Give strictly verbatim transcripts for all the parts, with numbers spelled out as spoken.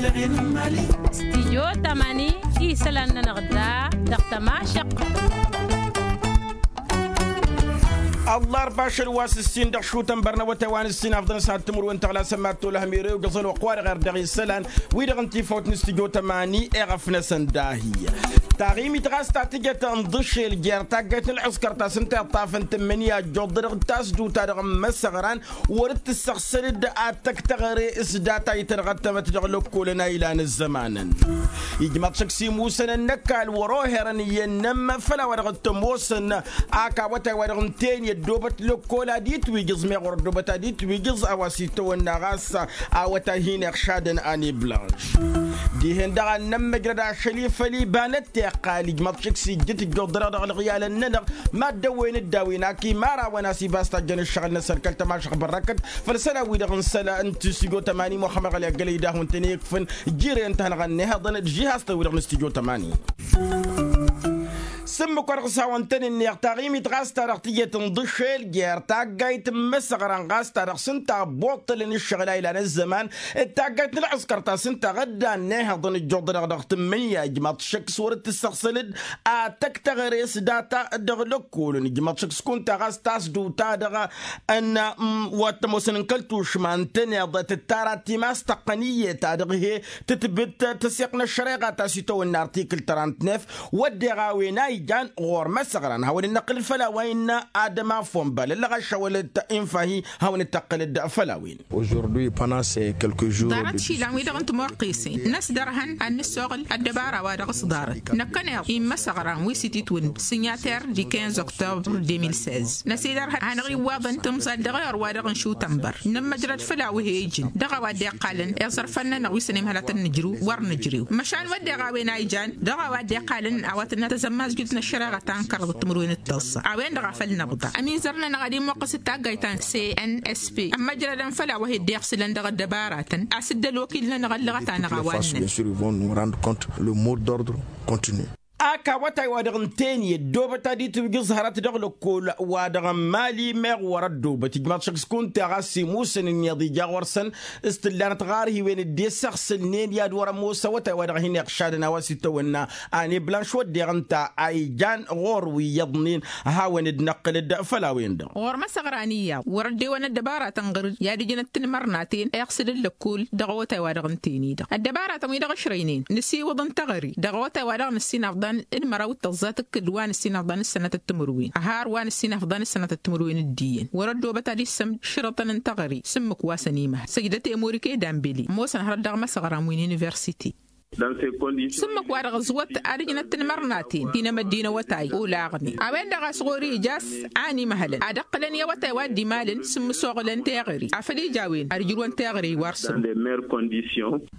Stijyo tamani isălan-nănăɣ da dăɣ-tămašăq. Ăllarba ašăl wa s-ǝssin dăɣ-šutăn bărnăwătay wa n-ǝssin afḍăn s-ad-timǝrwen tăɣlasăn mad-tolăhăm ere-wi găẓăn wăqq-wa-dăɣ erdăɣ isălan wi-dăɣ n-tifawt n-stijyo tamani. Eɣăf-năsăn dahi taɣimit ɣas ta tǝjăt ǝnḍǝšel jer-taggayt n-ălɣǝskăr ta s-ǝnta iṭṭafăn tǝmmǝnǝya ăjjoḍ-dăɣ d-tasdut-ta-dăɣ n-imăsăɣran wăr-dd-tǝssăɣsăl-dd ad-tăkk teɣăre s-data itărɣăttămăt dăɣ-lăkkolăn a ilan ăzzămanăn. Ijmaḍ šăkk s-imusăn ănnăkkal wăr-oherăn iyyăn n-ămm făll-a-wa dăɣ-t-ămoosăn ak awătay wa dăɣ-n teni ăddoobăt lăkkol ad-itwǝjǝẓ meɣ wăr-ăddoobăt ad-itwǝjǝẓ a-wa s-itawănna ɣas awătay hin-iɣšadăn. Ane blanš dihen-dăɣ ad-nămmăjrăd ašăl-i făll-iba n-ăttiqqal ijmaḍ šăkk s-ijjǝt ǝjjuḍ-dăɣ dăɣ-ălɣiyalăn-nănăɣ. Mad-dăwwen-dd a-wen ak imărawăn a-s ibas tajjăn ǝššăɣǝl-năsăn kăl-tămašăɣ bărrăkăt făll-isălan-wi-dăɣ n-isălan n-tǝsǝjjo tămani muxămmăd ɣăli aggălăy d-ahun tăn-e-ikfǝn. Jire ǝnta a hanăɣ-ănnihăḍăn d-žihastăn-wi-dăɣ n-istijjo tămani. S-ǝmmǝk wa dăɣ-s hawăn-tăn-ǝnneɣ taɣimit ɣas ta dăɣ-tǝjet ǝnḍǝšel jer-taggayt n-imăsăɣran ɣas ta dăɣ-s ǝnta ăbbuṭṭălăn ǝššăɣǝl a ilan ăzzăman d-taggayt n-ălɣǝskăr ta s-ǝnta ɣǝdda ănnihăḍăn ǝjjuḍ-dăɣ dăɣ-tǝmmǝnǝya ijmaḍ šăkk s-wăr-dd-tǝssăɣsăl-dd ad-tăkk teɣăre s-data dăɣ-lăkkolăn ijmaḍ šăkk s-kunta ɣas tasdut-ta-dăɣ n-wa t-ămoosăn n-kăl-tušma ǝntăneḍ tǝttara timas tăqqăn iyyăt ta dăɣ-he tǝtbǝt tăsiɣt n-ăššăreɣa ta s-itawănna artikǝl trant-nef. Wădden a-wen a ijan ɣur-măsăɣran hawăn-dd-năqqǝlăd făll-a-wa innă adăma fonbal ǝllăɣ ašăwălăt infahi hawăn-dd-tăqqǝlăd făll-a-wen. Ḍarăt išilan-wi-dăɣ n-timoqqisen n-ăsdărhăn ad-nǝssoɣǝl ăddăbara wa dăɣ-s ḍarăt năkkăneḍ immăsăɣran wi s-ititwǝn sinyater di kinz oktobr deux mille seize năsidărhăn hanăɣ-iwwaḍăn tǝmẓal dăɣ-ewăr wa dăɣ-n šutănbăr. Nǝmmăjrăd făll-a-wa he-ijǝn dăɣ-a-wa dd-iqqalăn iẓărfăn-nănăɣ wi s-ănimhăl ad-tăn-nǝjrǝw wăr nǝjrew măšan wădden a-wen a ijan dăɣ-a-wa dd-iqqalăn a-wa tǝnnă tăzămmazjut n-ăššăreɣa ta n-kăraḍăt timǝrwen d-tăẓẓa a-wen-dăɣ a făl năbḍa ămizăr-nănăɣ ad-imuqqǝs d-taggayt ta n-cnsp ămmăjrădăn făll-a-wa he-dd-iɣsǝlăn dăɣ-ăddăbaratăn a-s dd-ălwăkil-nănăɣ ăllăɣăt-anăɣ a-wa ǝnnăn. Ak awătay wa dăɣ-n teni ăddoobăt ad-itwǝjǝẓ hărăt dăɣ-lăkkol wa dăɣ-n mali meɣ wăr-ăddoobăt ijmaḍ šăkk s-kunta ɣas imusăn ǝnniḍ ija ɣur-săn s-tǝllanăt ɣarhiwen dd-isăɣsǝlnen i-ad-wăr-ămoos awătay wa dăɣ-hin-iɣšadăn a-wa s-itawănna. Ane blanš wădden ǝnta a ijan ɣur-wi iyyăḍnen hawăn-dd-năqqǝlăd făll-a-wen-dăɣ. Ɣur-măsăɣran iyyăḍ wăr-ăddewăn ăddăbaratăn ɣăr-dd i-ad-ǝjǝnăt tinmărnaten iɣsǝl n-lăkkol dăɣ-awătay wa dăɣ-n teni-dăɣ ăddăbaratăn-wi-dăɣ ǝšrăynen nǝsiwǝḍ n-teɣăre dăɣ-awătay wa dăɣ-nǝssin afḍan d-măraw d-tăẓẓa tǝkkǝl wa nǝssin afḍan d-sănatăt timǝrwen ăhar wa nǝssin afḍan d-sănatăt timǝrwen d-iyyăn wăr-ăddoobăt ad-issăm šărătăn n-teɣăre s-ǝmmǝk wa s-ănimăhăl săjdăt i-emorike dambele ămoosăn hărăt dăɣ-imăsăɣran wi n-universite. S-ǝmmǝk wa dăɣ-ăẓwăt ad-ǝjnăt tinmărnaten ti n-emăddin awătay olaɣnen a-wen-dăɣ a-s ɣur-i ija a-s a ănimăhălăn ad-ǝqqǝlăn i-awătay wa dd-imalăn s-ǝmmǝsoɣǝlăn teɣăre afăl ija a-wen ad-ǝjrǝwăn teɣăre i-wa ărsăwăn.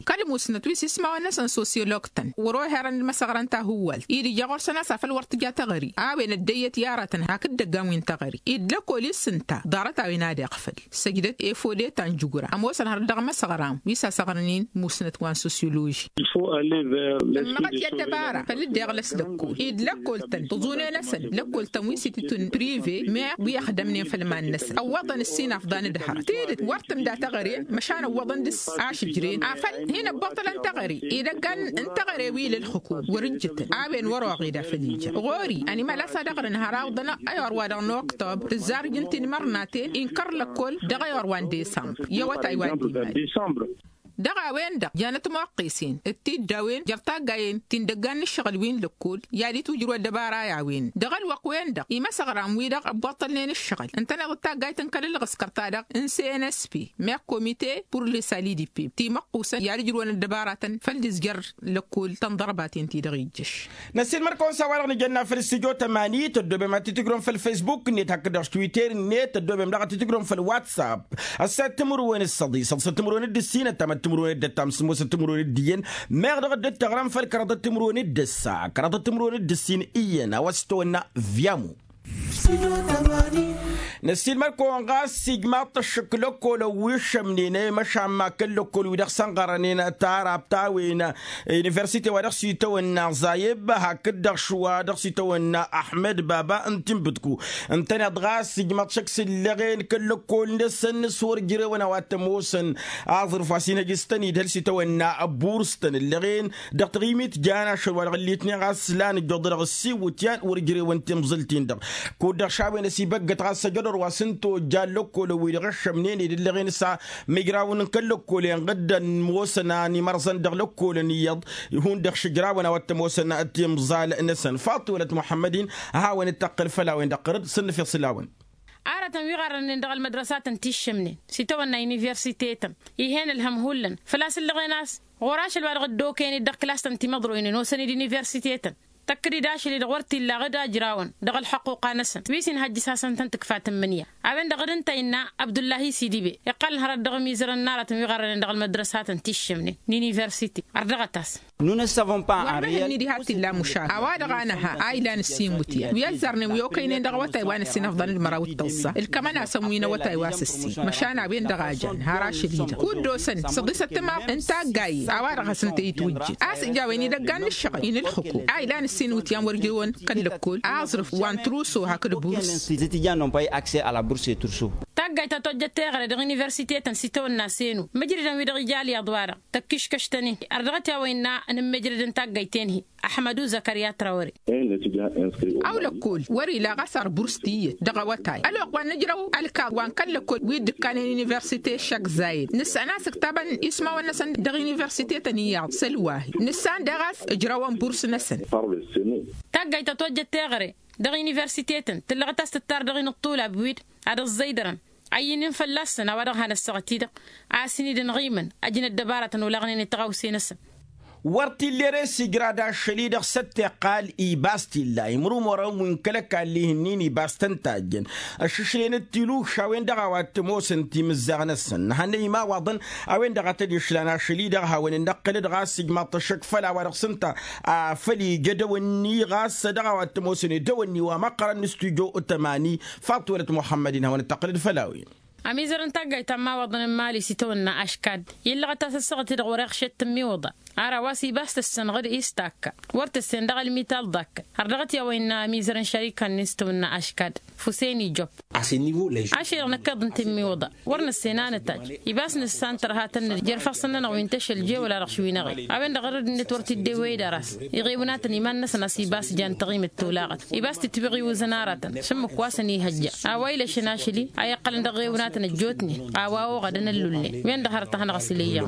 Kăl-musnăt wi s-ismawăn-năsăn sosyolog-tăn wăr-oherăn d-imăsăɣran tahǝwwalt-i d-ija ɣur-săn a-s afăl wăr tǝja teɣăre a-wen ăddăyyăt i-aratăn hakd dăggan wi n-teɣăre-i d-lăkkol-i s-ǝnta ḍarăt-a-wen ad-iɣfăl. Săjdăt efode ta n-jǝgura ămoosăn hărăt dăɣ-imăsăɣran wi s-asăɣrănen musnăt wa n-sosyoloži. Ǝmmăɣăt i-ăddăbara făll-dd-iɣlăs lăkkol-i d-lăkkol-tăn tǝẓune-năsăn lăkkol-tăn wi s-itǝtun prive meɣ wi ăxdămnen făll-iman-năsăn ăwwăḍăn ǝssin afḍan d-hărăt tidǝt wăr tǝmda teɣăre măšan ăwwăḍăn dăɣ-s ašǝjren afăl hin-ăbbuṭṭălăn teɣăre idăggan n-teɣăre wi l-ǝlxǝkum wăr-ǝjjǝtăn a-wen wăr-oɣed a făl ija ɣur-i ănimăl a-s ad-ăɣrǝn har awǝḍăn ăyor wa dăɣ-noktob tǝzzarǝj n-tinmărnaten inkăr lăkkol dăɣ-ăyor wa n-desămbr i-awătay wa dd-imal. Dăɣ-a-wen-dăɣ janăt imoqqesen d-tiddawen jer-taggayen ti n-dăggan n-ǝššăɣǝl wi n-lăkkol i-ad-itwǝjrǝw ăddăbara i-a-wen dăɣ-ălwăqq-wen-dăɣ imăsăɣran-wi-dăɣ ăbbuṭṭălnen ǝššăɣǝl ǝntăneḍ d-taggayt n-kăl-ǝlɣǝskăr-ta-dăɣ n-cnsp meɣ komite pur lesalidipeb timăqqusăn i-ad-ǝjrǝwăn ăddăbaratăn făll-dăɣ-s jer-lăkkol tănḍărbaten-ti-dăɣ ijjăš. Năssiilmăr-kăwăn s-a-wa-dăɣ nǝjănna făll-stujo tămani tăddobem ad-t-tǝjrǝwăm făll-facebook-net hakd-dăɣ s-twitter-net tăddobem daɣ ad-t-tǝjrǝwăm făll-whatsapp. Ăssayăt timǝrwen d-săḍi săḍsăt timǝrwen d-ǝssin ăttam d-timǝrwen d-ăttam sǝmmosăt timǝrwen d-iyyăn meɣ dăɣ-dd-tăɣrăm făll-kăraḍăt timǝrwen d-ǝssa kăraḍăt timǝrwen d-ǝssin iyyăn a-wa s-tăwănna. Vyamu. Năssiilmăd-kăwăn ɣas ijmaḍ-t ăššǝk lăkkolăn wi ǝššămnen i-măšan ma kăl-lăkkol wi dăɣ-sănɣărănen tarabta a-wen universite wa dăɣ-s itawănna zayeb hakd-dăɣ šwa dăɣ-s itawănna aḥmed baba n-tinbǝtku. Ǝntăneḍ ɣas ijmaḍ šăkk s-ǝllăɣen kăl-lăkkol-năsăn s-wăr jrewăn a-wa t-ămoosăn aẓrǝf wa s-inhăj s-tăn-idhăl s-itawănna burs-tăn ǝllăɣen dăɣ-taɣimit jan ašăl wa dăɣ-ǝllitnen ɣas lan ǝjjuḍ dăɣ-ǝssin iwǝtyan wăr jrewăn timẓǝlt-in-dăɣ. Kud-dăɣ šawen ăsibăggăt ɣas ăjădor wa s-ǝnta ojja n-lăkkolăn-wi-dăɣ ǝššămnen-dd ǝllăɣen s-a mǝjrawăn n-kăl-lăkkolen ɣǝddăn ămoosăn a n-imărẓăn dăɣ-lăkkolăn iyyăḍ. Ihun-dăɣ šǝjrawăn a-wa t-ămoosăn timẓal-năsăn faḍt-i wălăt muḥămmăd-in. A hawăn-dd-tăqqǝl făll-a-wen-dăɣ ɣărăd s-ǝnnǝfeɣ s-ǝlawăn. Arătăn wi ɣarrănen dăɣ-ălmădrăsatăn ti ǝššǝmnen s-itawănna universite-tăn ih'-en ǝlhăm hullan făl-a-s ǝllăɣen a-s ɣur-ašăl wa dăɣ-dd-okăyăn-dd dăɣ-klas-tăn timăḍroynen osăn-dd universite-tăn. Tăkk-dd ašăl-i-dăɣ wăr t-illa ɣǝd ajrawăn dăɣ-ălḥăqquqa-năsăn wi s-inhăjjǝs-asăn tăn-tǝkfa tǝmmǝnǝya. A-wen-dăɣ dd-ǝnta innă abdullahi s-idibe iqqălăn hărăt dăɣ-imizărăn n-aratăn wi ɣărrănen dăɣ-ălmădrăsatăn ti ǝššǝmnen n-universite. Ărdăɣăt-as. Wăr nǝhǝnni diha t-illa mušakǝl a-wa-dăɣ a nǝha a ilan ǝssin iwǝtyan wi ăzzarnen wi okăynen dăɣ-awătay wa n-ǝssin ăfḍăn d-măraw d-tăẓẓa ǝlkămăn-asăn wi n-awătay wa s-ǝssin măšan a-wen-dăɣ a jan har ašăl-i-dăɣ kud-dd-osăn săḍisăt timaḍt n-taggayen a-wa-dăɣ hasăn-t-ăyǝtwǝjjǝn a-s ǝja a-wen idăggan n-ǝššăɣǝl-i n-ǝlxǝku a ilan ǝssin iwǝtyan wăr jewăn kăl-lăkkol aẓrǝf wa n-truso hakd burs. Tǝtǝjja n-ompăy akse a la burs i-turso. Taggayt ta tojjăt teɣăre dăɣ-universite-tăn s-itawănna senu mǝjrǝdăn wi-dăɣ ija ălyaḍ-wa-dăɣ tăkkiškăš-tăn-in. Ărdăɣăt i-a-wa innă n-ǝmmǝjrăd n-taggayt-en-hi. Ăḥmădu zăkărya trawăre. Aw lăkkol wăr-ila ɣas ărburs tiyyăt dăɣ-awătay ălwăqq wa n-ǝjrăw ălkaḍ wa n-kăl-lăkkol wi dd-ǝkkanen universite šăkk zayed nǝssan a-s ǝktabăn ismawăn-năsăn dăɣ-universite-tăn iyyăḍ s-ălwahi nǝssan daɣ a-s ǝjrăwăn burs-năsăn. Taggayt ta tojjăt teɣăre dăɣ-universite-tăn tǝllăɣăt a-s tǝttar dăɣ-inǝṭṭulab wi-dd ad-ăẓẓăydărăn. Ăyyǝn-in fălla-săn a-wa dăɣ-hanăssăɣăt-i-dăɣ a-s inidăn ɣimăn ăjnăt dăbaratăn olaɣnen i-tăɣawse-năsăn. Wăr t-illa ere s-igrad ašăl-i-dăɣ s-ăttiqqal ibas t-illa imrumărăn wi n-kăl-ăkall ihǝnnin ibas tăn-tajjăn ăššǝšlen d-tilukš a-wen-dăɣ a-wa t-ămoosăn timǝzzaɣ-năsăn nǝhănnăy imawaḍăn. A-wen-dăɣ a tăd-išlan ašăl-i-dăɣ hawăn-dd-năqqǝlăd ɣas ijmaḍ-t ăššăk făll-a-wa dăɣ-s ǝnta a făl ija dăwănni ɣas dăɣ-a-wa t-ămoosăn i-dăwănni wa măqqărăn n-stujo tămani. Faḍt-wălăt muḥămmăd-in hawăn-dd-tăqqǝlăd făll-a-wen. Ămizăr n-taggayt ta n-imawaḍăn n-mali s-itawănna aškad illăɣăt-as ăssaɣăt-i-dăɣ wăr-iɣšet tǝmmiwǝḍa. Ar a-wa s-ibas tǝssănɣăd i-s takka wăr tǝssen dăɣ-ălmital ḍakkăn. Ărdăɣăt i-a-wa innă ămizăr n-šarika-nin s-tawănna aškad fuseni job. Ašăl-i-dăɣ năkkeḍ n-tǝmmiwǝḍa wăr nǝssen a nǝtajj. Ibas nǝssan tărha tănnăd jer-ifassăn-nănăɣ wi n-tešăl je wăla dăɣ-š wi n-eɣăy. A-wen-dăɣ ărăd-net wăr t-dd-ewwăy d-aras iɣewnatăn iman-năsăn a-s ibas jan taɣimǝt tolaɣăt. Ibas tǝtwăɣ iwǝzăn aratăn šǝmmǝk wa săn-ihăjja a-wa ilăšăn ašăl-i a iqqălăn dăɣ-iɣewnatăn ăjjootnen. A-wa oɣădăn ăllulnen wen-dăɣ hărăt a hanăɣ-s ila iyyăɣ.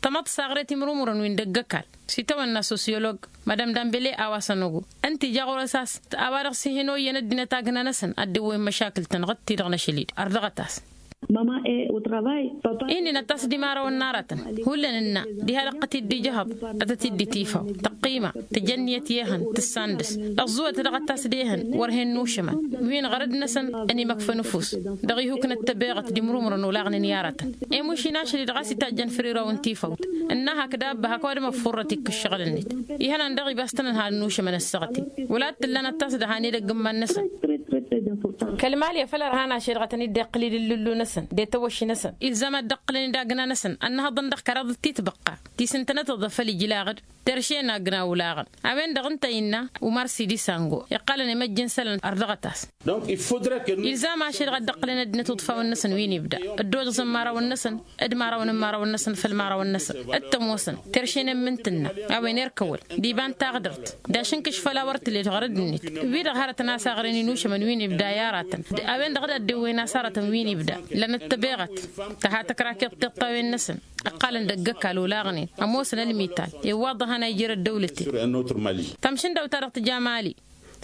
Tamăḍt saɣre timrumǝrăn wi n-dăgg-ăkall s-itawănna sosyolog madam dambele a-wa săn-ogo ǝnta ija ɣur-s a-s a-wa dăɣ-s ih'-in oyyăn ăddinăt agna-năsăn ad-dd-ewwăyăn măšakǝl-tăn ɣǝd-ti-dăɣ n-ašăl-i-dăɣ ărdăɣăt-as. Inn'-in ad-tas-dd imarawăn n-aratăn hullan ǝnna diha dăɣ-tăt-dd-ijhăḍ ad-tăt-dd-itifaw tăqqima tǝjănniyăt i-ehăn tǝssan dăɣ-s. Ăẓẓuwăt dăɣ-ad-tas-dd ehăn wăr hen-nušămăn wi n-ɣărăd-năsăn ănimăkfăn ăfuss dăɣ-ihuk n-ăttăbeɣăt d-imrumrăn olaɣnen i-aratăn. Emuš-in ašăl-i-dăɣ a-s itajjăn făr iraw n-tifawt ǝnna hakd abba hak ăwadǝm ăffuṛrăt ikk-ǝššăɣǝl-net. Ihănan daɣ ibas tăn-ănhal ănnušămăn ăssaɣăt-in wăla t-tǝllan ad-tas-dăhan edăgg n-iman-năsăn. Kăl-mali a făl ărhan ašăl-i-dăɣ ad-tăn-dd-iqqǝlǝl ǝllǝllu-năsăn d-etăwăšš-năsăn ilzam ad-dd-ǝqqǝlăn d-agna-năsăn ănnăhăḍăn dăɣ-kăraḍăt ti tibăqqa ti s-ǝntănăt tăḍăfăl ijlaɣ-dd. Terše n-agna olaɣăn a-wen-dăɣ ǝnta innă umar sidi sango iqqalăn imăjj n-isălan ărdăɣăt-as. Ilzam ašăl-i-dăɣ ad-dd-ǝqqǝlăn ăddinăt uḍfawăn-năsăn wi n-ibda ăddoozăẓăn imărawăn-năsăn d-imărawăn n-imărawăn-năsăn făll-imărawăn-năsăn d-tămoosăn terše n-emmǝnt tǝnna. A-wen erk ăwăl d-iba n-taɣdărt d-ašǝnkǝš făll-a wăr tǝled ɣărăd-net wi-dăɣ hărătăn a-s aɣrǝn inušămăn wi n-ibda i-aratăn. A-wen-dăɣ d-ad-dd-ewwen a-s arătăn wi n-ibda lănăt tăbeɣăt tăha tăkra tiṭṭiḍt a-wen-năsăn. Ǝqqalăn dăgg-ăkall olaɣnen ămoosăn ălmital i-ǝwwaḍăhăn a ijăr ăddăwlăten. Tămšǝndăwt-ta-dăɣ tǝja mali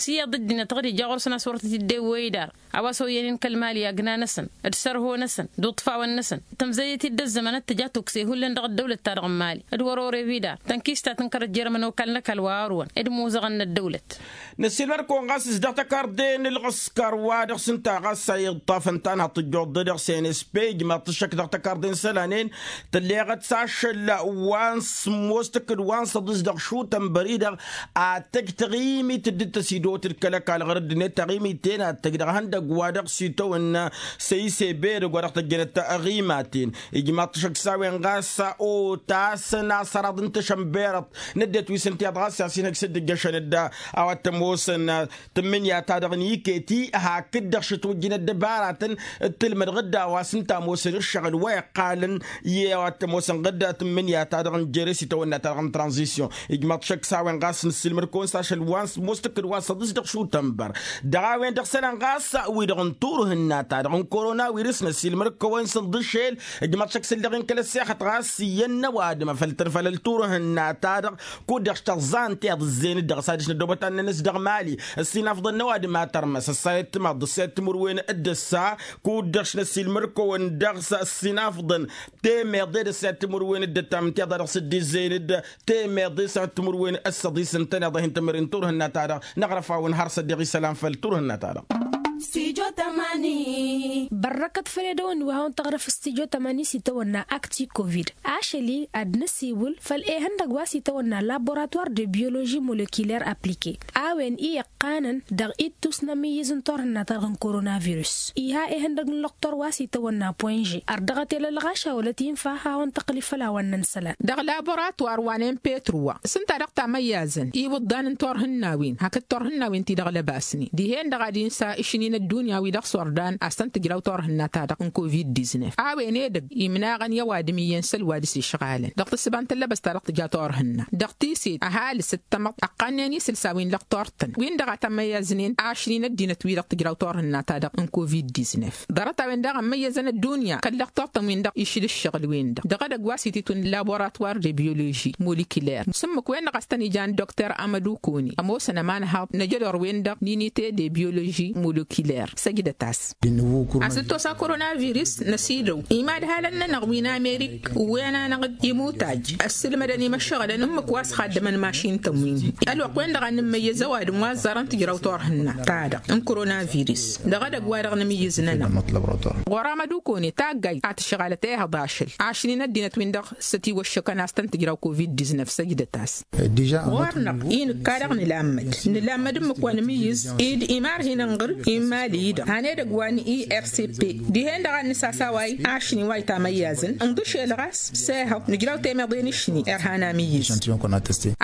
s-iyyăḍ dd-inătăɣ d-ija ɣur-săn a-s wăr tăt-dd-ewwăy dar a-wa s-oyyănen kăl-mali agna-năsăn d-sărho-năsăn d-uṭṭfawăn-năsăn. Tămzăyăt-dd ăzzăman ad-tǝja tukse hullan dăɣ-ăddăwlăt-ta-dăɣ n-mali d-wăr-ore wi dar tănkist ta tǝnkărăt jer-ămănokal n-ăkall wa ărwăn d-imuzăɣăn n-ăddăwlăt. Năssiilmăd-kăwăn ɣas s-dăɣ-tăkarḍe n-ǝlɣǝskăr wa dăɣ-s ǝnta ɣas a iḍḍafăn tanhăḍt tǝjjuḍ-dd dăɣ-s n s p ijmaḍ-t ăššăk dăɣ-tăkarḍe n-isălanen. Tǝlleɣăt s-ašăl wa n-sǝmmos tǝkkǝd wa n-săḍis dăɣ-šutăn bări-dăɣ ad-tăj taɣimit dd-tăsidăɣ. tot-dd kăl-ăkall ɣur-dd-net taɣimit tenat tăj dăɣ-ihăndăgg wa dăɣ-s itawănna săyse berăg wa dăɣ-tăjjănăt taɣimaten. Ijmaḍ-t ašăk s-a-wen ɣas otasăn asăraḍ n-tašănberăḍt n-ăddinăt wi s-ǝnta i-ad-ɣas i-ad-sinhăj s-dd-ǝjjăšăn dd-a-wa t-ămoosăn tǝmmǝnǝya-ta-dăɣ n-iket-i hakd-dăɣ šăt wăjjǝn ăddăbaratăn d-tǝlmăd ɣǝdda wa s-ǝnta ămoosăn ǝššăɣǝl wa iqqalăn i-a-wa t-ămoosăn ɣǝdda tǝmmǝnǝya-ta-dăɣ n-jere s-itawănna-ta-dăɣ n-tranzisyon. Ijmaḍ-t ašăk s-a-wen ɣas nǝssilmăd-kăwăn s-ašăl wa n-sămoos tǝkkǝd wa s-ăḍǝs dăɣ-šutănbăr dăɣ-a-wen-dăɣ isălan ɣas wi-dăɣ n-turhǝnna-ta-dăɣ n-korona wirǝs năssilmăd-kăwăn s-ǝnḍǝšel. Ijmaḍ-t ašăk s-ǝlleɣ-in kăl-ăssexăt ɣas iyyăn n-ăwadǝm afăl tăn-fălăl turhǝnna-ta-dăɣ kud-dăɣ s-tăẓẓa ǝnta iḍǝzzeyăn-dd dăɣ-s adiš n-ăddoobăt ad-nănăs dăɣ-mali. Ăssinafḍăn n-ăwadǝm a tărmăs ăssayăt timaḍt d-ăssayăt timǝrwen d-ăssa kud-dăɣ s-năsilmăr-kăwăn dăɣ-s ăssinafḍăn temeḍe d-ăssayăt timǝrwen d-ăttam ǝnta iḍa dăɣ-s dd-izzeyăn-dd temeḍe s-ad-timǝrwen ăssăḍis ǝntăneḍ-ahin tămăre n-turhǝnna-ta-dăɣ năɣrăf-awăn har s-ăddeɣ isălan făll-turhǝnna-ta-dăɣ. Bărrăkăt făll-edăwănni wa hawăn-tăɣrăf s-tijo tămani s-itawănna akti covid ašăl-i ad-năsiwǝl făll-ehăndăg wa s-itawănna laboratoir de bioloži molekiler aplike a-wen i-iqqanăn dăɣ-ittus n-amǝyyǝz n-turhǝnna-ta-dăɣ n-koronavirus iha ehăndăg n-lăqtor wa s-itawănna poinže ărdăɣăt elălɣaša wălăt infa a hawăn-tăqqǝli făll-a-wa n-nănăsălan. Dăɣ-laboratoir wa n-empetru wa s-ǝnta dăɣ-tamăyyazăn iwǝḍḍan n-turhǝnna-win hakd turhǝnna-win ti dăɣ-lăbasnen dihen-dăɣ ad-insa išǝnni n-ăddunya wi dăɣ-s ordan a-s tăn-tǝjraw turhǝnna-ta-dăɣ n-covid-diznef a-wen edăgg imnaɣăn i-ăwadǝm iyyăn s-ălwa dăɣ-s išɣalăn dăɣ-tǝssǝba n-tăllăbăst ta dăɣ-tǝja turhǝnna dăɣ-tiset ăhalǝs d-tamăḍt ăqqannen isǝlsa wi n-lăqtor-tăn win-dăɣ a tămmăyyăznen ašni n-ăddinăt wi-dăɣ tǝjraw turhǝnna-ta-dăɣ n-covid-diznef. Ḍarăt-a-wen-dăɣ ămmăyyăzăn ăddunya kăl-lăqtor-tăn-win-dăɣ išǝl ǝššăɣǝl-wen-dăɣ dăɣ-edăgg wa s-ititun laboratoir de bioloži molekiler s-ǝmmǝk-wen-dăɣ a-s tăn-ijan dokter amădukoni ămoosăn ămanhaḍ n-ajădor-wen-dăɣ n-inite de bioloži molekiler săjdăt-as. A-s dd-tosa koronavirus năsidăw imadhalăn-nănăɣ wi n-amerik ǝwwen-anăɣ-dd imutaj ăssǝlmădăn imăššăɣǝlăn ǝmmǝk wa s-xaddămăn mašin-tăn wi n-hi ălwăqq-wen-dăɣ ad-nǝmmăyyăz ăwadǝm wa ăẓẓarăn tǝjraw turhǝnna-ta-dăɣ n-koronavirus dăɣ-edăgg wa dăɣ-nǝmǝyyǝz-nănăɣ. Ɣur-amădukone taggayt a tǝšɣalăt ehăḍ ašăl ašni n-ăddinăt-win-dăɣ s-ătiwăššăkăn a-s tăn-tǝjraw covid-diznef săjdăt-as. Ɣur-năɣ-i nǝkka dăɣ-nǝlammăd nǝlammăd ǝmmǝk wa nǝmǝyyǝz-dd imarhinăn ɣǝr-i n-imali-i-dăɣ han edăgg wa n-ircp dihen-dăɣ ad-nǝsasaway ašni wa itamăyyazăn ǝnḍǝšel ɣas s-ehăḍ nǝjraw temeḍe n-ašni irhan amǝyyǝz.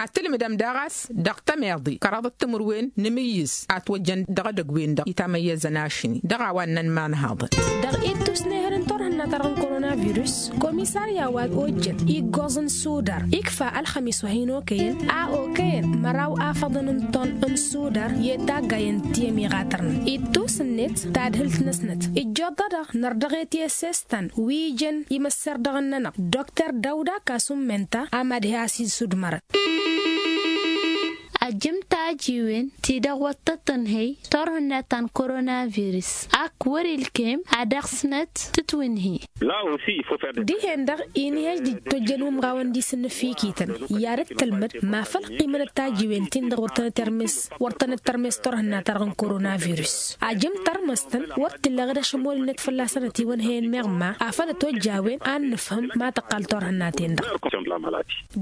Ad-tǝlmǝdăm daɣ a-s dăɣ-temeḍe kăraḍăt timǝrwen n-amǝyyǝz a ătwăjjăn dăɣ-edăgg-wen-dăɣ itamăyyazăn ašni dăɣ-a-wa ǝnnăn imanhaḍăn. Dăɣ-ittus n-ehăl n-turhǝnna ta dăɣ-n koronavirus komisarya wa ojjăn iggoẓ n-sudar ikfa ălxămis wa hin-okăyăn a okăyăn măraw afăḍăn n-ton n-sudar i-taggay n-tiyăm iɣatărnăn ittus-net tadhǝlt-năsnăt ǝjjoḍ-ta-dăɣ nărdăɣet i-esestăn wi ijăn imăsserdăɣăn-nănăɣ dokter dawda kasummen-ta a mad-he-as isudmărăn. Ajǝm tajiwen ti-dăɣ wăr tăt-tǝnhǝy turhǝnna ta n-koronavirus ak wăr-ilkem ad-dăɣ-snăt tǝtwǝnhǝy. Dihen-dăɣ inhăj d-tojjăn umɣawăn d-isǝnnǝfikităn i-ad-dd-tălmăd ma făl ăqqimănăt tajiwen-tin-dăɣ wăr tănăt-termes wăr tănăt-termes turhǝnna-ta-dăɣ n-koronavirus. Ajǝm tărmăstăn wăr t-illeɣ d-ašămolnet fălla-săn ătiwănhăyăn meɣ ma afăl ătojj a-wen ad-nǝfhǝm ma tăqqal turhǝnna-ten-dăɣ.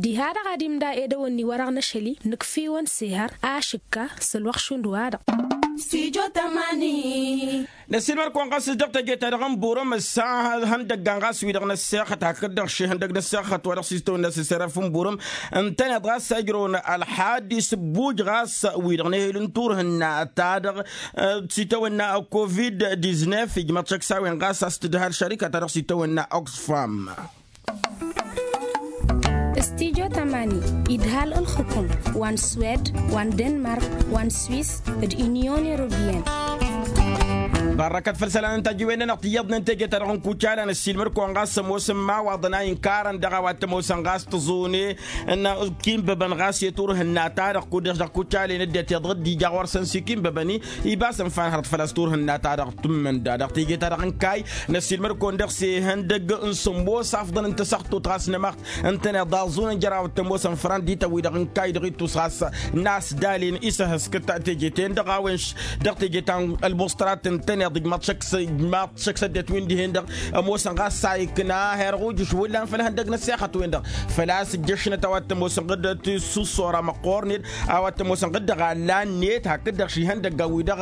Diha-dăɣ ad-imda edăwănni wa dăɣ-năšăli nǝkf'-iwăn sehăr ašǝkka s-ălwăqq šund-wa-dăɣ. Năsiilmăr-kăwăn ɣas dăɣ-teje-ta-dăɣ n-burăm ǝssa ihăndăggan ɣas wi-dăɣ năssexăt hakd-dăɣ šihăndăg năssexăt wa dăɣ-s itawănna s-iserăf n-burăm ǝntăneḍ ɣas ăjrăwăn ălxadd isǝbbuj ɣas wi-dăɣ n-ehel n-turhǝnna-ta-dăɣ s-itawănna covid-diznef ijmăḍ šăkk s-a-wen ɣas a-s tǝdhal šărika-ta-dăɣ s-itawănna oxfam. Stijo tămani idhal ǝlxǝkum wa n-swed wa n-denmark wa n-swis d-inyon europeyăn. Barrăkăt făll-isălan n-tajiwen-nănăɣ tiyyăḍnen teje-ta-dăɣ n-kucala năssiilmăd-kăwăn ɣas ămoosăn imawaḍăn a inkarăn dăɣ-a-wa t-ămoosăn ɣas tăẓune n-kinbăbăn ɣas i-turhǝnna-ta-dăɣ kud-dăɣ kucalen ăddinăt iyyăḍ dd-ija ɣur-săn s-ikinbăbăn-i ibas ǝnfa n-hărăt făl-a-s turhǝnna-ta-dăɣ tǝmmǝnda dăɣ-teje-ta-dăɣ n-kayy. Năssiilmăd-kăwăn dăɣ-s ihăndăgg n-sǝmmos afḍăn n-tasăxtut ɣas n-amăɣt ǝntăneḍ aẓun n-jărawăt tămoosăn fărăn d-itawǝy-dăɣ n-kayy dăɣ-ittus ɣas n-asdalen isăhăskăt teje-ten-dăɣ a-wen dăɣ-teje ta n-ălbuṣtărat ǝntăneḍ. Ḍǝjmaḍ šăkk s-ăddinăt wi n-dihen-dăɣ ămoosăn ɣas s-a ikna herɣ ujǝš hullan făll-ihăndăg n-ăssexăt-wen-dăɣ. Făl-a-s ǝjjăšnăt a-wa t-ămoosăn ɣǝddăt s-uṣṣora măqqoornet a-wa t-ămoosăn ɣǝddăɣ allan-net hakd-dăɣ šihăndăggan-wi-dăɣ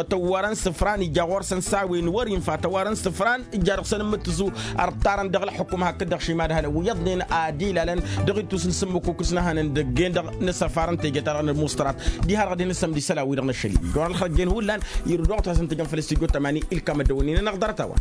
tăwwărăn s-ǝfran ija ɣur-săn s-a-wen wăr-infa tăwwărăn s-ǝfran. Ija dăɣ-săn ǝmmǝttǝsu ărṭarăn dăɣ-ălxukǝm hakd-dăɣ šima d-hănăn wi iyyăḍnen ad-ilalăn dăɣ-ittus n-sǝmmǝkuk s-nǝhănăn dăgg-en-dăɣ. Nǝsăfarăn teje-ta-dăɣ n-ălmuṣtărat diha-dăɣ ad-hin-nǝsămdisăl a-wi-dăɣ n-ašăl-i. Ijorăn ălxărăt jen hullan irǝw dăɣ-wăt hasăn-tejăn făll-s tijot tămani ilkam ăddăwănnin-anăɣ ḍarăt-a-wa.